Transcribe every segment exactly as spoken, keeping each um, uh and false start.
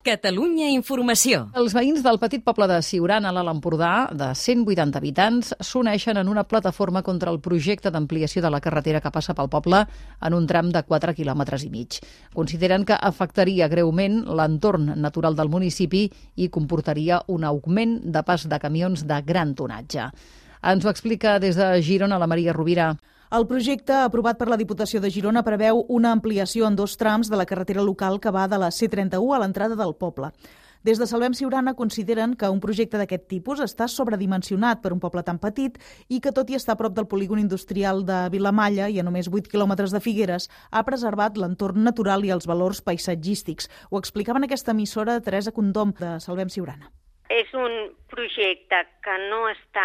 Catalunya Informació. Els veïns del petit poble de Siurana, a l'Alt Empordà, de cent vuitanta habitants, s'uneixen en una plataforma contra el projecte d'ampliació de la carretera que passa pel poble en un tram de quatre quilòmetres i mig. Consideren que afectaria greument l'entorn natural del municipi i comportaria un augment de pas de camions de gran tonatge. Ens ho explica des de Girona la Maria Rovira. El projecte, aprovat per la Diputació de Girona, preveu una ampliació en dos trams de la carretera local que va de la C trenta u a l'entrada del poble. Des de Salvem Siurana consideren que un projecte d'aquest tipus està sobredimensionat per un poble tan petit i que, tot i estar a prop del polígon industrial de Vilamalla i a només vuit quilòmetres de Figueres, ha preservat l'entorn natural i els valors paisatgístics. Ho explicava en aquesta emissora Teresa Condom, de Salvem Siurana. És un projecte que no està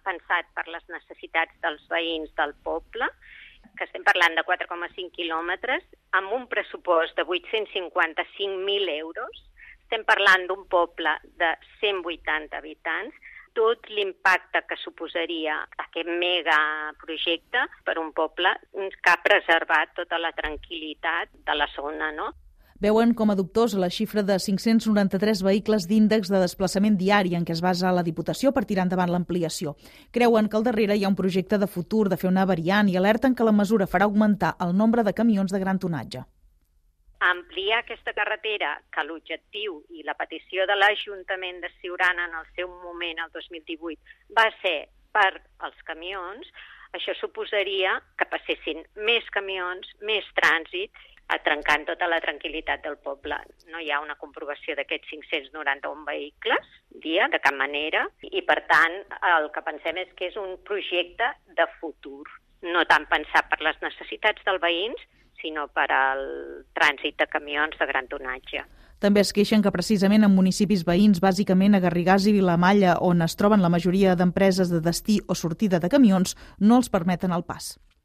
pensat per les necessitats dels veïns del poble, que estem parlant de quatre coma cinc quilòmetres, amb un pressupost de vuit-cents cinquanta-cinc mil euros. Estem parlant d'un poble de cent vuitanta habitants. Tot l'impacte que suposaria aquest megaprojecte per un poble que ha preservat tota la tranquil·litat de la zona, no? Veuen com a dubtós la xifra de cinc-cents noranta-tres vehicles d'índex de desplaçament diari en què es basa la Diputació per tirar endavant l'ampliació. Creuen que al darrere hi ha un projecte de futur de fer una variant i alerten que la mesura farà augmentar el nombre de camions de gran tonatge. Ampliar aquesta carretera, que l'objectiu i la petició de l'Ajuntament de Siurana en el seu moment, el dos mil divuit, va ser per als camions, això suposaria que passessin més camions, més trànsit, trencant tota la tranquil·litat del poble. No hi ha una comprovació d'aquests cinc-cents noranta-un vehicles dia, de cap manera, i per tant el que pensem és que és un projecte de futur, no tant pensat per les necessitats dels veïns, sinó per al trànsit de camions de gran tonatge. També es queixen que precisament en municipis veïns, bàsicament a Garrigàs i Vilamalla, on es troben la majoria d'empreses de destí o sortida de camions, no els permeten el pas.